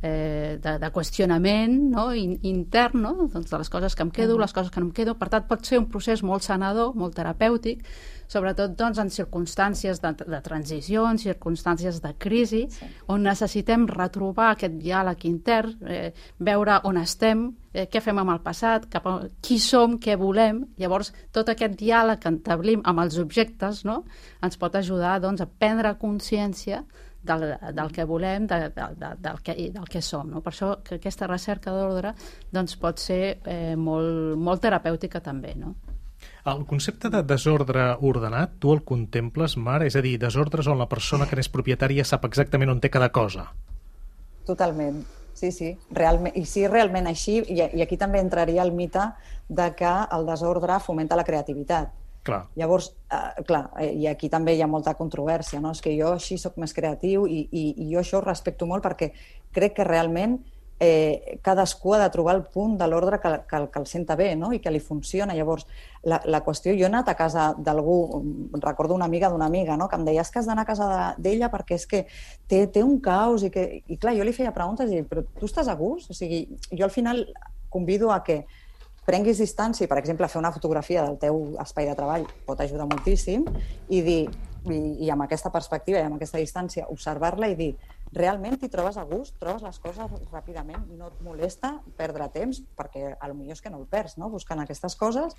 Eh, de, de qüestionament, no? In, intern, no? Doncs de les coses que em quedo, uh -huh. les coses que no em quedo. Per tant, pot ser un procés molt sanador, molt terapèutic, sobretot doncs, en circumstàncies de, de transició, en circumstàncies de crisi, sí. on necessitem retrobar aquest diàleg intern, eh, veure on estem, eh, què fem amb el passat, cap a, qui som, què volem. Llavors, tot aquest diàleg que entablim amb els objectes, no? Ens pot ajudar doncs, a prendre consciència Del, del que volem, de, de, de, del, que, del que som. No? Per això que aquesta recerca d'ordre doncs, pot ser eh, molt, molt terapèutica també. No? El concepte de desordre ordenat, tu el contemples, Mar? És a dir, desordres on la persona que n'és propietària sap exactament on té cada cosa. Totalment. Sí, sí, realment, i sí, realment així, i, i aquí també entraria el mite de que el desordre fomenta la creativitat. Clar. Llavors, eh, clar, i aquí també hi ha molta controvèrsia, no? És que jo així sóc més creatiu i, i, i jo això ho respecto molt perquè crec que realment eh, cadascú ha de trobar el punt de l'ordre que, que, que el senta bé, no? I que li funciona. Llavors, la, la qüestió... Jo he anat a casa d'algú, recordo una amiga d'una amiga, no? Que em deia que has d'anar a casa d'ella perquè és que té, té un caos i que... I clar, jo li feia preguntes i però tu estàs a gust? O sigui, jo al final convido a que prenguis distància, per exemple, fer una fotografia del teu espai de treball pot ajudar moltíssim i dir, i, i amb aquesta perspectiva i amb aquesta distància, observar-la i dir realment t'hi trobes a gust, trobes les coses ràpidament, no et molesta perdre temps, perquè potser és que no el perds, no? Buscant aquestes coses,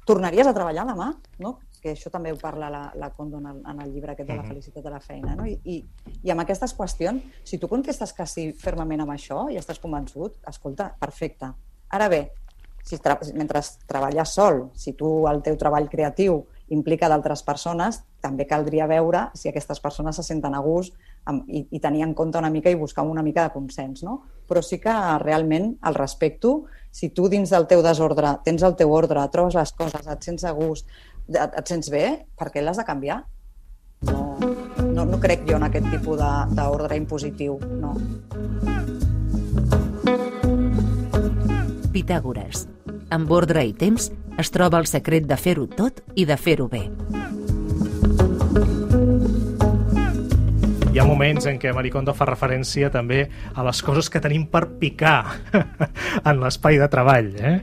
tornaries a treballar demà, no? Que això també ho parla la, la Kondo en el, en el llibre aquest de la felicitat de la feina, no? I, i, i amb aquestes qüestions, si tu contestes que sí fermament amb això i estàs convençut, escolta, perfecte. Ara bé, si tra mentre treballes sol, si tu el teu treball creatiu implica d'altres persones, també caldria veure si aquestes persones se senten a gust amb, i, i tenir en compte una mica i buscar una mica de consens, no? Però sí que realment el respecto. Si tu dins del teu desordre tens el teu ordre, trobes les coses, et sents a gust, et, et sents bé, per què l'has de canviar? No, no, no crec jo en aquest tipus d'ordre impositiu, no. Pitàgores. Amb ordre i temps es troba el secret de fer-ho tot i de fer-ho bé. Hi ha moments en què Marie Kondo fa referència també a les coses que tenim per picar en l'espai de treball, eh?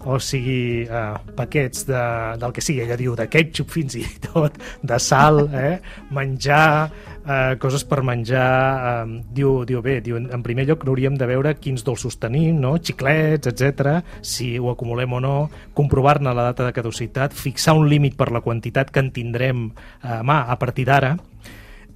O sigui, eh, paquets de, del que sigui, ella diu de ketchup fins i tot, de sal, eh? Menjar, eh, coses per menjar, eh, diu, diu bé, diu, en primer lloc hauríem de veure quins dolços tenim, no? Xiclets, etcètera, si ho acumulem o no, comprovar-ne la data de caducitat, fixar un límit per la quantitat que en tindrem a mà a partir d'ara.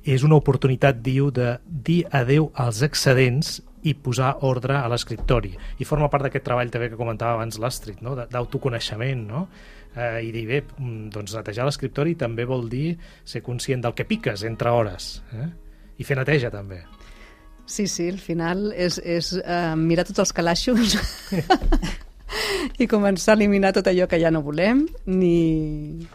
És una oportunitat, diu, de dir adeu als excedents i posar ordre a l'escriptori. I forma part d'aquest treball també que comentava abans l'Astrid, no? D'autoconeixement, no? Eh, I dir, bé, doncs netejar l'escriptori també vol dir ser conscient del que piques entre hores, eh? I fer neteja també. Sí, sí, al final és, és uh, mirar tots els calaixos i començar a eliminar tot allò que ja no volem ni...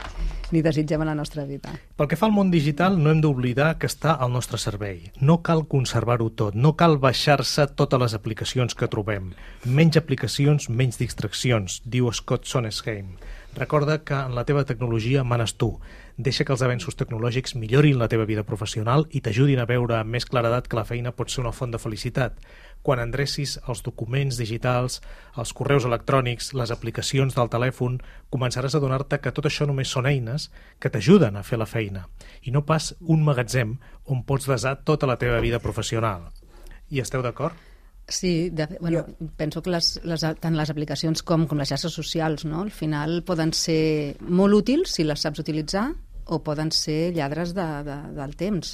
ni desitgem a la nostra vida. Pel que fa al món digital, no hem d'oblidar que està al nostre servei. No cal conservar-ho tot, no cal baixar-se totes les aplicacions que trobem. Menys aplicacions, menys distraccions, diu Scott Sonnesheim. Recorda que en la teva tecnologia manes tu. Deixa que els avenços tecnològics millorin la teva vida professional i t'ajudin a veure amb més claredat que la feina pot ser una font de felicitat. Quan endrecis els documents digitals, els correus electrònics, les aplicacions del telèfon, començaràs a adonar-te que tot això només són eines que t'ajuden a fer la feina i no pas un magatzem on pots desar tota la teva vida professional. I esteu d'acord? Sí, de, bueno, penso que les, les, tant les aplicacions com, com les xarxes socials, no? Al final poden ser molt útils si les saps utilitzar o poden ser lladres de, de, del temps.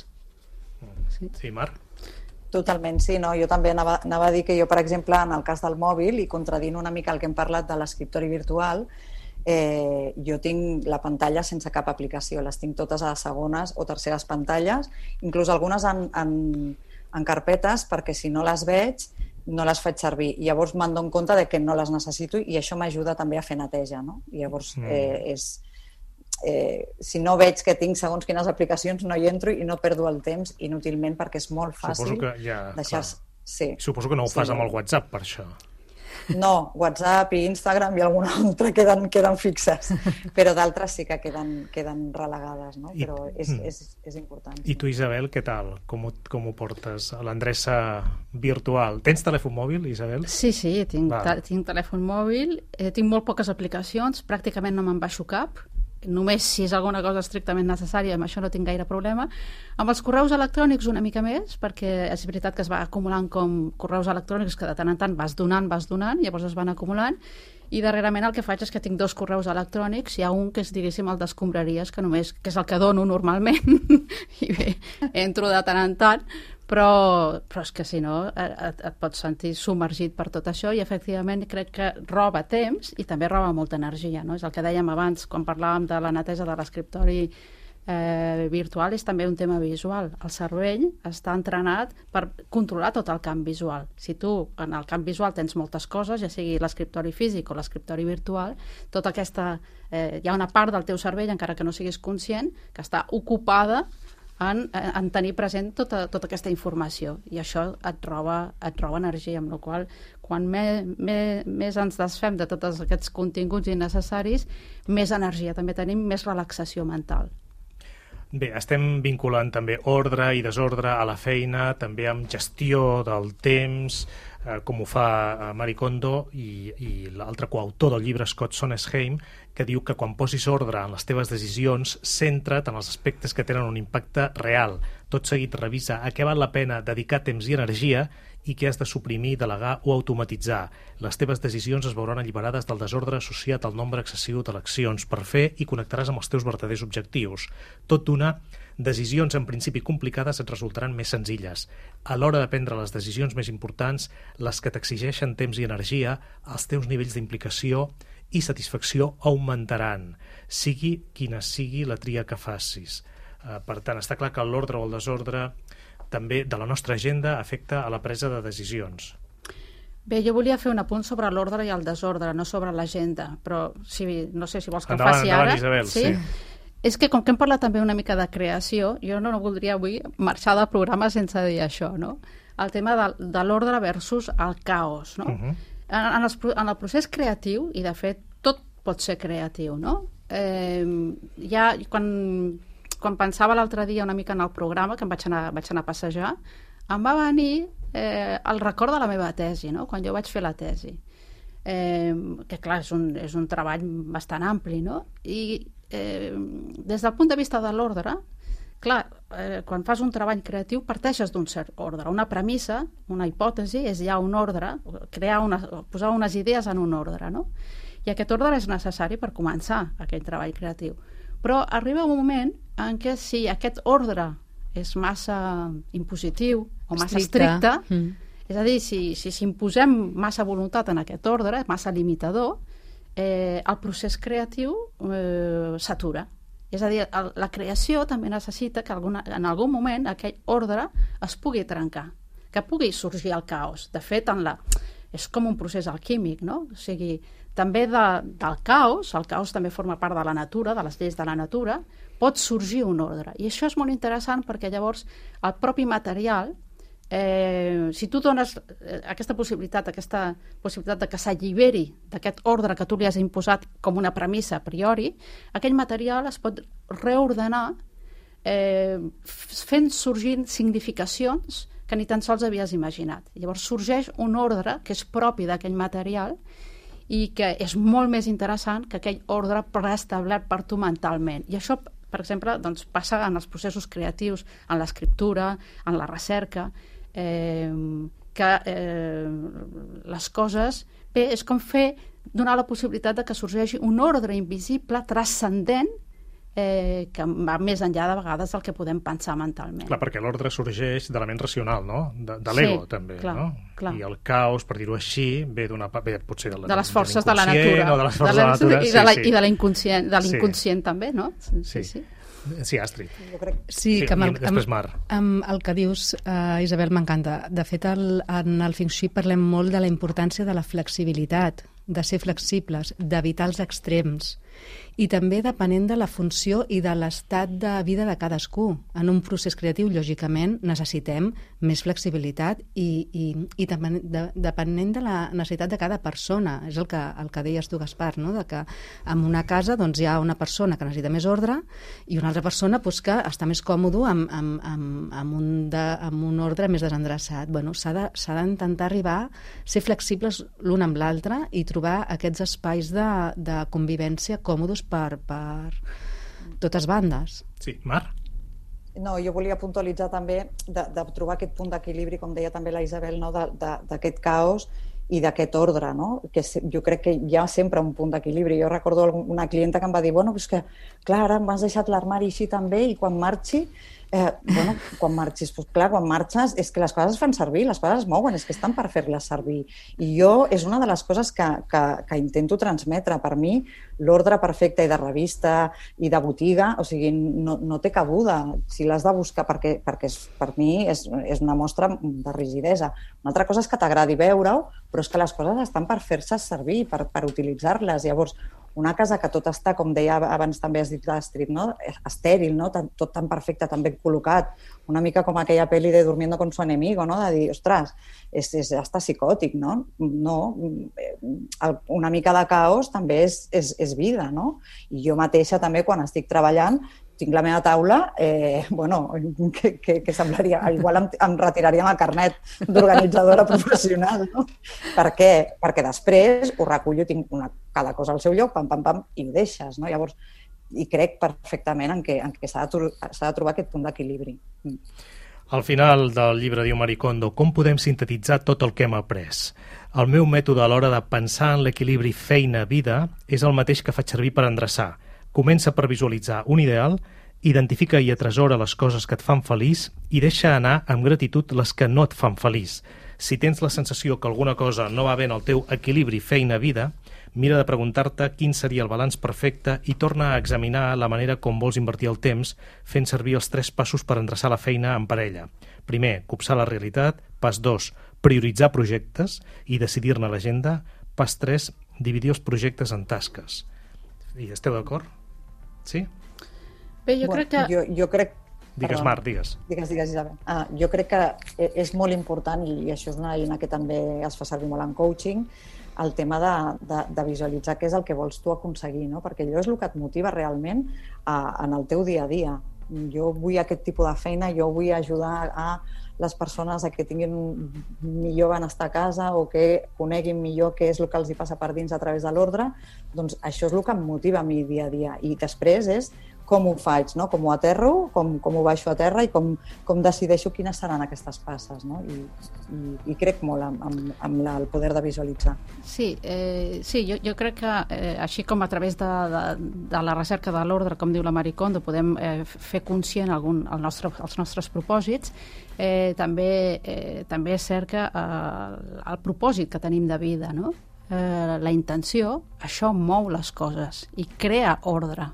Sí, sí, Marc? Totalment, sí. No? Jo també anava, anava a dir que jo, per exemple, en el cas del mòbil, i contradint una mica el que hem parlat de l'escriptori virtual, eh, jo tinc la pantalla sense cap aplicació, les tinc totes a segones o terceres pantalles, inclús algunes en, en, en carpetes, perquè si no les veig no les faig servir. I llavors me'n dono compte de que no les necessito i això m'ajuda també a fer neteja, no? I llavors eh, és... Eh, si no veig que tinc segons quines aplicacions no hi entro i no perdo el temps inútilment perquè és molt fàcil ja, deixar-se... Sí. Suposo que no ho fas sí. amb el WhatsApp per això. No, WhatsApp i Instagram i alguna altra queden, queden fixes, però d'altres sí que queden, queden relegades, no? I, però és, és, és important. I tu, Isabel, què tal? Com ho, com ho portes a l'endreça virtual? Tens telèfon mòbil, Isabel? Sí, sí, tinc, tinc telèfon mòbil, eh, tinc molt poques aplicacions, pràcticament no me'n baixo cap, només si és alguna cosa estrictament necessària, amb això no tinc gaire problema. Amb els correus electrònics una mica més, perquè és veritat que es va acumulant com correus electrònics que de tant en tant vas donant, vas donant, llavors es van acumulant, i darrerament el que faig és que tinc dos correus electrònics, hi ha un que és, diguéssim, el d'escombraries, que només, que és el que dono normalment, i bé, entro de tant en tant, però, però és que si no et, et pots sentir submergit per tot això i efectivament crec que roba temps i també roba molta energia, no? És el que dèiem abans quan parlàvem de la neteja de l'escriptori eh, virtual és també un tema visual. El cervell està entrenat per controlar tot el camp visual. Si tu en el camp visual tens moltes coses, ja sigui l'escriptori físic o l'escriptori virtual, tota aquesta, eh, hi ha una part del teu cervell, encara que no siguis conscient, que està ocupada en, en tenir present tota, tota aquesta informació, i això et roba, et roba energia, amb la qual quan me, me, més ens desfem de tots aquests continguts innecessaris, més energia també tenim, més relaxació mental. Bé, estem vinculant també ordre i desordre a la feina, també amb gestió del temps, eh, com ho fa Marie Kondo i, i l'altre coautor del llibre, Scott Sondheim, que diu que quan posis ordre en les teves decisions, centra't en els aspectes que tenen un impacte real. Tot seguit revisa a què val la pena dedicar temps i energia i què has de suprimir, delegar o automatitzar. Les teves decisions es veuran alliberades del desordre associat al nombre excessiu d'eleccions per fer i connectaràs amb els teus verdaders objectius. Tot d'una, decisions en principi complicades et resultaran més senzilles. A l'hora de prendre les decisions més importants, les que t'exigeixen temps i energia, els teus nivells d'implicació i satisfacció augmentaran, sigui quina sigui la tria que facis. Eh, per tant, està clar que l'ordre o el desordre també de la nostra agenda afecta a la presa de decisions. Bé, jo volia fer un apunt sobre l'ordre i el desordre, no sobre l'agenda, però si, no sé si vols que endavant, ho faci endavant, ara. Isabel, sí? sí. És que com que hem parlat també una mica de creació, jo no, no voldria avui marxar del programa sense dir això, no? El tema de, de l'ordre versus el caos, no? Uh-huh. en, en, els, en el procés creatiu, i de fet tot pot ser creatiu, no? Eh, ja quan... quan pensava l'altre dia una mica en el programa, que em vaig anar, vaig anar a passejar, em va venir eh, el record de la meva tesi, no? Quan jo vaig fer la tesi. Eh, que clar, és un, és un treball bastant ampli, no? I eh, des del punt de vista de l'ordre, clar, eh, quan fas un treball creatiu parteixes d'un cert ordre. Una premissa, una hipòtesi, és ja un ordre, crear una, posar unes idees en un ordre, no? I aquest ordre és necessari per començar aquell treball creatiu. Però arriba un moment en què si aquest ordre és massa impositiu o massa estricte, mm. és a dir, si, si, si imposem massa voluntat en aquest ordre, massa limitador, eh, el procés creatiu eh, s'atura. És a dir, el, la creació també necessita que alguna, en algun moment aquell ordre es pugui trencar, que pugui sorgir el caos. De fet, en la, és com un procés alquímic, no? O sigui, també de, del caos, el caos també forma part de la natura, de les lleis de la natura, pot sorgir un ordre. I això és molt interessant perquè llavors el propi material, eh, si tu dones aquesta possibilitat, aquesta possibilitat de que s'alliberi d'aquest ordre que tu li has imposat com una premissa a priori, aquell material es pot reordenar eh, fent sorgir significacions que ni tan sols havies imaginat. Llavors sorgeix un ordre que és propi d'aquell material i que és molt més interessant que aquell ordre preestablert per tu mentalment. I això, per exemple, doncs, passa en els processos creatius, en l'escriptura, en la recerca, eh, que eh, les coses... Bé, és com fer, donar la possibilitat de que sorgeixi un ordre invisible, transcendent, eh, que va més enllà de vegades del que podem pensar mentalment. Clar, perquè l'ordre sorgeix de la ment racional, no? De, de l'ego, sí, també, clar, no? Clar. I el caos, per dir-ho així, ve d'una... Ve, potser de, la, de les forces de, de la natura. O de les forces de la, de la natura, i sí, de la, sí. I de l'inconscient, de l'inconscient sí. també, no? Sí, sí. sí. Sí, Astrid. Jo crec... Sí, sí, que amb el, després Mar. Amb, amb el que dius, uh, Isabel, m'encanta. De fet, el, en el Feng Shui parlem molt de la importància de la flexibilitat, de ser flexibles, d'evitar els extrems, i també depenent de la funció i de l'estat de vida de cadascú. En un procés creatiu, lògicament, necessitem més flexibilitat i, i, i depenent, de, depenent de la necessitat de cada persona. És el que, el que deies tu, Gaspar, no? De que en una casa doncs, hi ha una persona que necessita més ordre i una altra persona doncs, que està més còmode amb, amb, amb, amb, un de, amb un ordre més desendreçat. Bueno, s'ha de, s'ha d'intentar arribar a ser flexibles l'un amb l'altre i trobar aquests espais de, de convivència còmodes per, per totes bandes. Sí, Mar? No, jo volia puntualitzar també de, de trobar aquest punt d'equilibri, com deia també la Isabel, no? d'aquest caos i d'aquest ordre, no? Que jo crec que hi ha sempre un punt d'equilibri. Jo recordo una clienta que em va dir, bueno, és que, clar, ara m'has deixat l'armari així també i quan marxi Eh, bueno, quan marxis, doncs clar, quan marxes és que les coses es fan servir, les coses es mouen, és que estan per fer-les servir. I jo és una de les coses que, que, que intento transmetre. Per mi, l'ordre perfecte i de revista i de botiga, o sigui, no, no té cabuda. Si l'has de buscar, perquè, perquè és, per mi és, és una mostra de rigidesa. Una altra cosa és que t'agradi veure-ho, però és que les coses estan per fer-se servir, per, per utilitzar-les. Llavors, una casa que tot està, com deia abans també has dit l'Astrid, no? Estèril, no? Tot tan perfecte, tan ben col·locat. Una mica com aquella pel·li de Durmiendo con su enemigo, no? De dir, ostres, és, és hasta psicòtic, no? No, una mica de caos també és, és, és vida, no? I jo mateixa també, quan estic treballant, tinc la meva taula, eh, bueno, que, que, que semblaria... Igual em, em retiraria el carnet d'organitzadora professional, no? Per què? Perquè després ho recullo, tinc una, cada cosa al seu lloc, pam, pam, pam, i ho deixes, no? Llavors, i crec perfectament en què, en què s'ha de, s'ha de trobar aquest punt d'equilibri. Al final del llibre, diu Marie Kondo, com podem sintetitzar tot el que hem après? El meu mètode a l'hora de pensar en l'equilibri feina-vida és el mateix que faig servir per endreçar. Comença per visualitzar un ideal, identifica i atresora les coses que et fan feliç i deixa anar amb gratitud les que no et fan feliç. Si tens la sensació que alguna cosa no va bé en el teu equilibri feina-vida, mira de preguntar-te quin seria el balanç perfecte i torna a examinar la manera com vols invertir el temps fent servir els tres passos per endreçar la feina en parella. Primer, copsar la realitat. Pas dos, prioritzar projectes i decidir-ne l'agenda. Pas tres, dividir els projectes en tasques. I esteu d'acord? Sí? Bé, jo bueno, crec que... Jo, jo crec... Digues, Marc, digues. Digues, digues, Isabel. Ah, jo crec que és molt important, i això és una eina que també es fa servir molt en coaching, el tema de, de, de visualitzar què és el que vols tu aconseguir, no? Perquè allò és el que et motiva realment a, en el teu dia a dia. Jo vull aquest tipus de feina, jo vull ajudar a les persones a que tinguin millor benestar a casa o que coneguin millor què és el que els hi passa per dins a través de l'ordre, doncs això és el que em motiva a mi dia a dia. I després és com ho faig, no? Com ho aterro, com, com ho baixo a terra i com, com decideixo quines seran aquestes passes, no? I, i, i crec molt amb, amb, amb la, el poder de visualitzar. Sí, eh, sí jo, jo crec que eh, així com a través de, de, de la recerca de l'ordre, com diu la Marie Kondo, podem eh, fer conscient algun, el nostre, els nostres propòsits, eh, també, eh, també és cert que eh, el propòsit que tenim de vida, no? eh, la intenció, això mou les coses i crea ordre.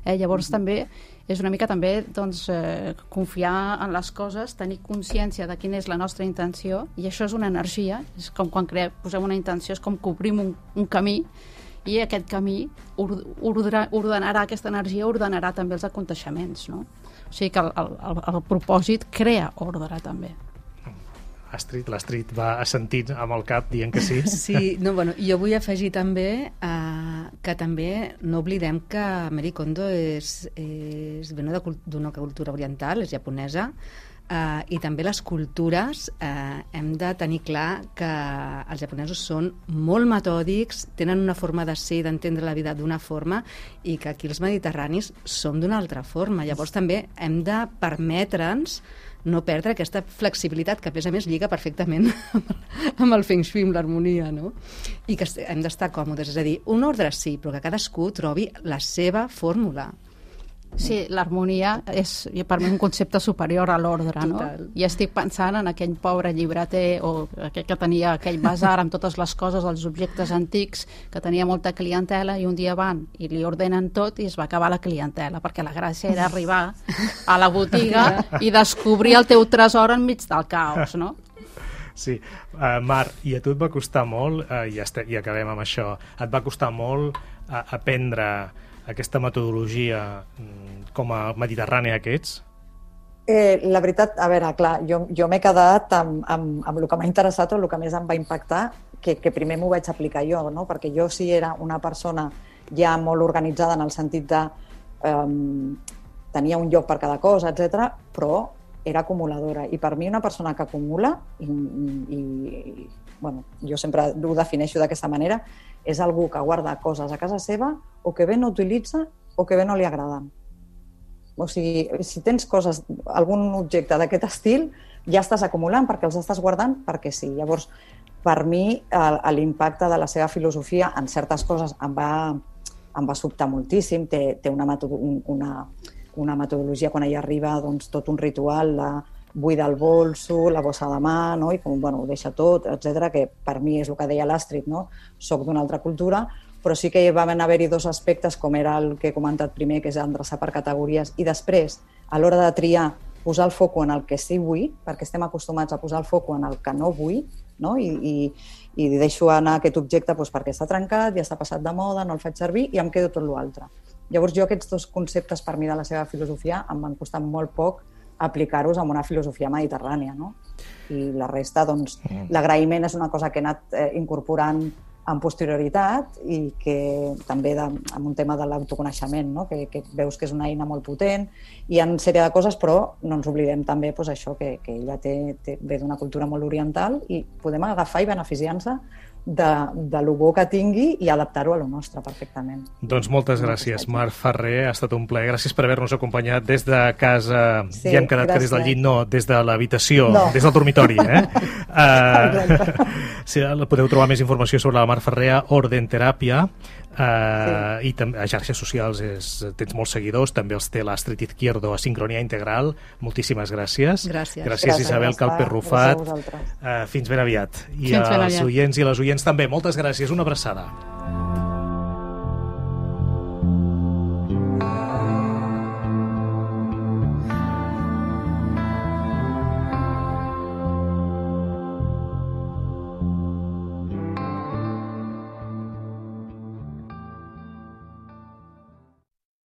Eh, llavors mm-hmm. també és una mica també doncs, eh, confiar en les coses, tenir consciència de quina és la nostra intenció, i això és una energia, és com quan crea, posem una intenció, és com que obrim un, un camí, i aquest camí ordre, ordenarà, aquesta energia ordenarà també els aconteixements, no? O sigui que el, el, el propòsit crea ordre també. Astrid, l'Astrid va assentint amb el cap dient que sí. Sí, no, bueno, jo vull afegir també eh, que també no oblidem que Marie Kondo és, és ve d'una cultura oriental, és japonesa, eh, i també les cultures eh, hem de tenir clar que els japonesos són molt metòdics, tenen una forma de ser i d'entendre la vida d'una forma, i que aquí els mediterranis som d'una altra forma. Llavors també hem de permetre'ns no perdre aquesta flexibilitat que a més a més lliga perfectament amb el feng shui, amb l'harmonia, no? I que hem d'estar còmodes, és a dir, un ordre sí, però que cadascú trobi la seva fórmula. Sí, l'harmonia és per mi un concepte superior a l'ordre, no? I estic pensant en aquell pobre llibreter o aquell que tenia aquell basar amb totes les coses, els objectes antics, que tenia molta clientela, i un dia van i li ordenen tot i es va acabar la clientela, perquè la gràcia era arribar a la botiga i descobrir el teu tresor enmig del caos, no? Sí, uh, Marc, i a tu et va costar molt, uh, i, este, i acabem amb això, et va costar molt uh, aprendre aquesta metodologia com a mediterrània que ets? Eh, la veritat, a veure, clar, jo, jo m'he quedat amb, amb, amb el que m'ha interessat o el que més em va impactar, que, que primer m'ho vaig aplicar jo, no? Perquè jo sí era una persona ja molt organitzada en el sentit de um, tenia un lloc per cada cosa, etcètera, però era acumuladora. I per mi una persona que acumula, i, i, i bueno, jo sempre ho defineixo d'aquesta manera, és algú que guarda coses a casa seva o que bé no utilitza o que bé no li agraden. O sigui, si tens coses, algun objecte d'aquest estil, ja estàs acumulant perquè els estàs guardant perquè sí. Llavors, per mi, l'impacte de la seva filosofia en certes coses em va, em va sobtar moltíssim. Té, té una, una, una metodologia quan ella arriba, doncs tot un ritual de buida el bolso, la bossa de mà, no? I com, bueno, ho deixa tot, etcètera, que per mi és el que deia l'Astrid, no? Soc d'una altra cultura, però sí que van haver-hi dos aspectes, com era el que he comentat primer, que és endreçar per categories, i després, a l'hora de triar, posar el foco en el que sí vull, perquè estem acostumats a posar el foco en el que no vull, no? I, i, i deixo anar aquest objecte doncs, perquè està trencat, ja està passat de moda, no el faig servir i em quedo tot l'altre. Llavors jo aquests dos conceptes per mi de la seva filosofia em van costar molt poc aplicar-los en una filosofia mediterrània, no? I la resta, doncs, mm. l'agraïment és una cosa que he anat eh, incorporant en posterioritat i que també de, amb un tema de l'autoconeixement, no? que, que veus que és una eina molt potent. Hi ha una sèrie de coses, però no ens oblidem també doncs, això que, que ella té, té, ve d'una cultura molt oriental i podem agafar i beneficiar-nos de, de lo bo que tingui i adaptar-ho a lo nostre perfectament. Doncs moltes gràcies, Mar Ferrer, ha estat un plaer. Gràcies per haver-nos acompanyat des de casa. Sí, ja hem quedat gràcies. Que des del llit, no, des de l'habitació, no. Des del dormitori. Eh? uh, si podeu trobar més informació sobre la Mar Ferrer a Orden Teràpia, uh, sí. I també a xarxes socials és, tens molts seguidors, també els té l'Astrid Izquierdo a Sincronia Integral. Moltíssimes gràcies. Gràcies, gràcies, gràcies Isabel Calper-Rufat. Uh, fins ben aviat. I als oients i les oients també, moltes gràcies, una abraçada.